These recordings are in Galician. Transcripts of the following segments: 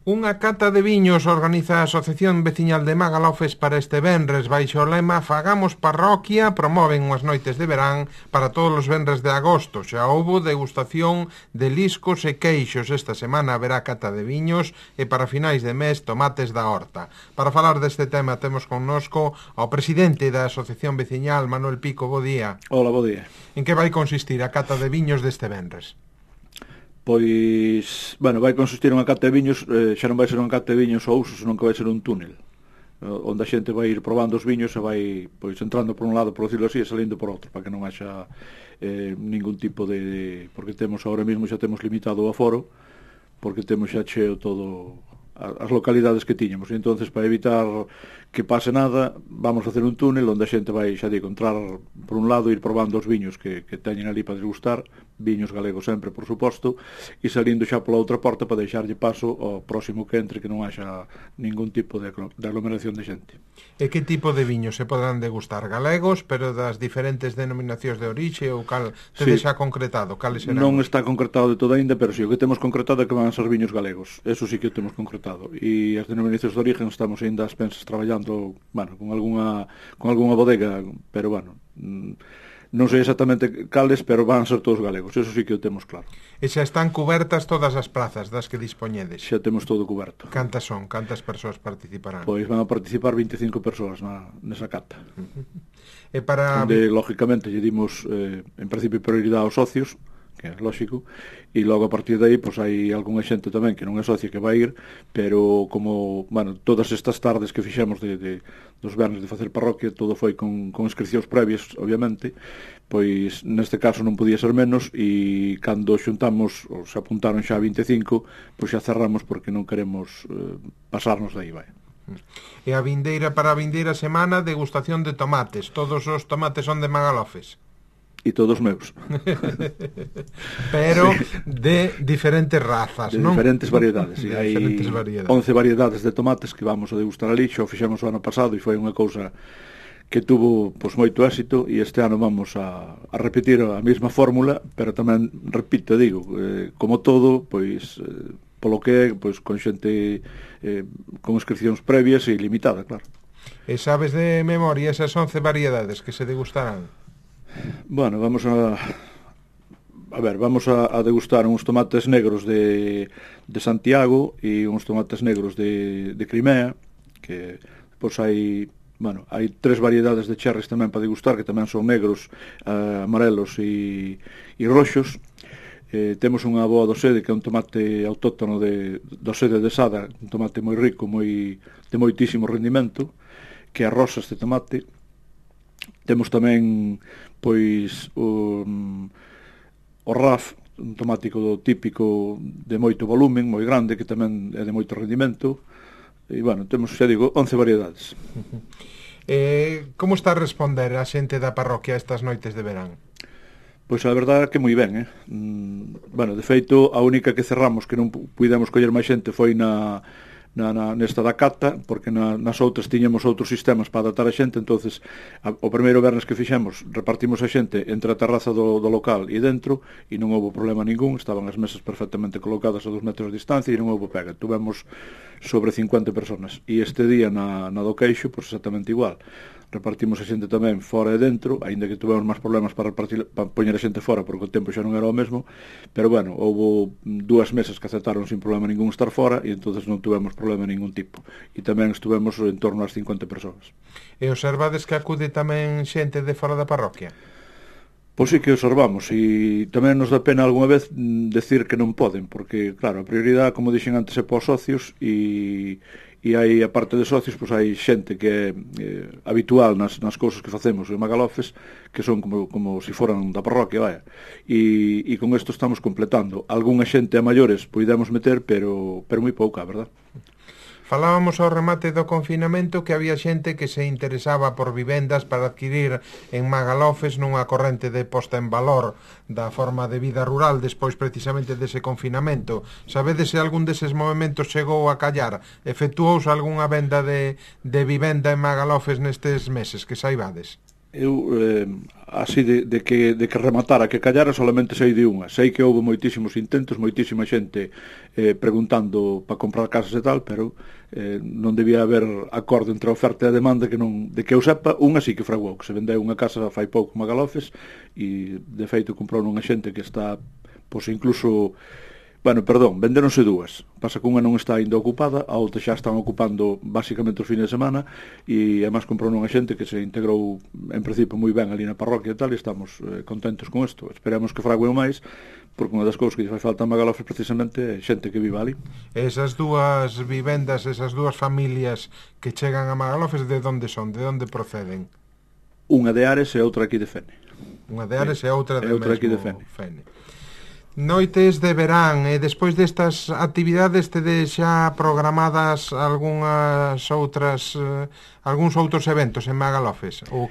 Unha cata de viños organiza a Asociación Veciñal de Magalofes para este venres baixo o lema Fagamos Parroquia. Promoven unhas noites de verán para todos os venres de agosto. Xa houbo degustación de liscos e queixos. Esta semana haberá cata de viños e para finais de mes tomates da horta. Para falar deste tema temos connosco ao presidente da Asociación Veciñal, Manuel Pico. Bo día. Hola, bo día. En que vai consistir a cata de viños deste venres? Pois, bueno, vai consistir unha cata de viños, xa non vai ser unha cata de viños ao uso, senón que vai ser un túnel, onde a xente vai ir probando os viños e vai pois entrando por un lado, por decirlo así, e salindo por outro, para que non haxa ningún tipo de... porque temos ahora mesmo xa temos limitado o aforo, porque temos xa cheo todo as localidades que tiñamos, e entonces para evitar que pase nada, vamos facer un túnel onde a xente vai, xa digo, entrar por un lado, ir probando os viños que teñen ali para degustar, viños galegos sempre, por suposto, e salindo xa pola outra porta para deixarlle paso ao próximo que entre, que non haxa ningún tipo de aglomeración de xente. E que tipo de viños se poderán degustar? Galegos, pero das diferentes denominacións de orixe, ou cal tedes xa concretado? Cales serán? Non está concretado de todo ainda, pero si, o que temos concretado é que van a ser viños galegos, eso sí que o temos concretado, e as denominacións de origen estamos ainda ás pensas traballando, bueno, con algunha bodega, pero bueno, non sei exactamente cales, pero van ser todos galegos, eso sí que o temos claro. E xa están cubertas todas as plazas das que dispoñedes? Xa temos todo cuberto. Cantas son? Cantas persoas participarán? Pois van a participar 25 persoas nesa cata. E para... Onde, lógicamente, lle dimos, en principio, prioridade aos socios, que é lógico, e logo a partir de aí, pois hai algunha xente tamén que non é socia que vai ir, pero como, bueno, todas estas tardes que fixemos dos vernes de facer parroquia, todo foi con inscripcións previas, obviamente, pois neste caso non podía ser menos, e cando xuntamos, ou se apuntaron xa 25, pois xa cerramos porque non queremos pasarnos de aí, vai. E para a vindeira semana, degustación de tomates. Todos os tomates son de Magalofes? E todos meus. Pero sí, de diferentes razas, de non? Diferentes variedades, sí. Hai variedades. 11 variedades de tomates que vamos a degustar ali, xa o fixemos o ano pasado e foi unha cousa que tuvo pois moito éxito, e este ano vamos a repetir a mesma fórmula, pero tamén, repito, digo, como todo, pois polo que é, pois con xente con inscripcións previas e limitada, claro. E sabes de memoria esas 11 variedades que se degustarán? Bueno, vamos a degustar uns tomates negros de Santiago e uns tomates negros de Crimea, que pois hai 3 variedades de cherries tamén para degustar, que tamén son negros, amarelos e roxos. Temos unha boa do Sede, que é un tomate autóctono do Sede de Sada, un tomate moi rico, de moitísimo rendimento, que é rosa este tomate. Temos tamén pois o RAF, un tomático típico de moito volumen, moi grande, que tamén é de moito rendimento. E, bueno, temos, xa digo, 11 variedades. Como está a responder a xente da parroquia estas noites de verán? Pois a verdade é que moi ben, Bueno, de feito, a única que cerramos que non pudemos coller máis xente foi nesta da cata, porque nas outras tiñamos outros sistemas para adaptar a xente, entonces o primeiro vernes que fixemos repartimos a xente entre a terraza do local e dentro, e non houve problema ningún, estaban as mesas perfectamente colocadas a 2 metros de distancia e non houve pega, tuvemos sobre 50 personas, e este día na do queixo, pois exactamente igual, repartimos a xente tamén fora e dentro, aínda que tuvemos máis problemas para poñer a xente fora, porque o tempo xa non era o mesmo, pero bueno, houve 2 mesas que aceptaron sin problema ningún estar fora, e entonces non tuvemos problema ningún tipo, e tamén estuvemos en torno ás 50 persoas. E observades que acude tamén xente de fora da parroquia? Pois sí que observamos, e tamén nos dá pena algunha vez decir que non poden, porque, claro, a prioridade, como dixen antes, é para os socios, e hai, a parte de socios, pois hai xente que é habitual nas cousas que facemos en Magalofes, que son como se foran da parroquia, vaya, e con isto estamos completando. Algúnha xente a maiores podemos meter, pero moi pouca, verdad? Falábamos ao remate do confinamento que había xente que se interesaba por vivendas para adquirir en Magalofes nunha corrente de posta en valor da forma de vida rural despois precisamente dese confinamento. Sabedes se algún deses movimentos chegou a callar? Efectuouse algunha venda de vivenda en Magalofes nestes meses que saibades? Eu, así de que rematara, que callara, solamente sei de unha. Sei que houve moitísimos intentos, moitísima xente preguntando para comprar casas e tal, pero non debía haber acordo entre a oferta e a demanda que non, de que eu sepa, unha sí que fraguou, que se vendeu unha casa fai pouco Magalofes e de feito comprou unha xente que está, pois incluso... Bueno, perdón, vendéronse dúas. Pasa que unha non está ainda ocupada, a outra xa están ocupando basicamente os fines de semana e además comprou unha xente que se integrou en principio moi ben ali na parroquia e tal e estamos contentos con isto. Esperamos que frague o máis, porque unha das cousas que lle fai falta a Magalofes precisamente é xente que viva ali. Esas dúas vivendas, esas dúas familias que chegan a Magalofes, de onde son? De onde proceden? Unha de Ares e outra aquí de Fene. Unha de Ares e outra de aquí de Fene. Noites de verán, e despois destas actividades tedes xa programadas algúns outros eventos en Magalofes, ou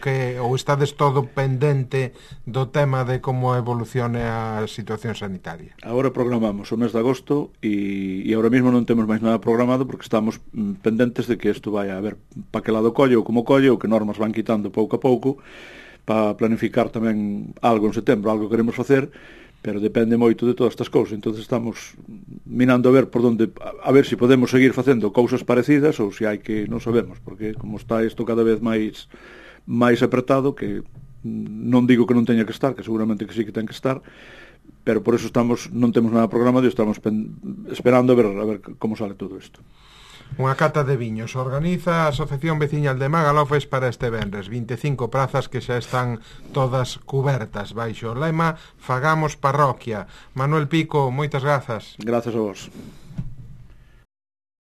estades todo pendente do tema de como evolucione a situación sanitaria? Agora programamos o mes de agosto e agora mesmo non temos máis nada programado porque estamos pendentes de que isto vai a ver para que lado colle ou como colle ou que normas van quitando pouco a pouco para planificar tamén algo en setembro, algo que queremos facer, pero depende moito de todas estas cousas. Entonces estamos minando a ver por onde, a ver se podemos seguir facendo cousas parecidas ou se hai que, non sabemos, porque como está isto cada vez máis apretado, que non digo que non teña que estar, que seguramente que sí que ten que estar, pero por eso non temos nada programado e estamos esperando a ver como sale todo isto. Unha cata de viños organiza a Asociación Veciñal de Magalofes para este venres, 25 prazas que xa están todas cubertas baixo o lema Fagamos Parroquia. Manuel Pico, moitas grazas. Grazas a vos.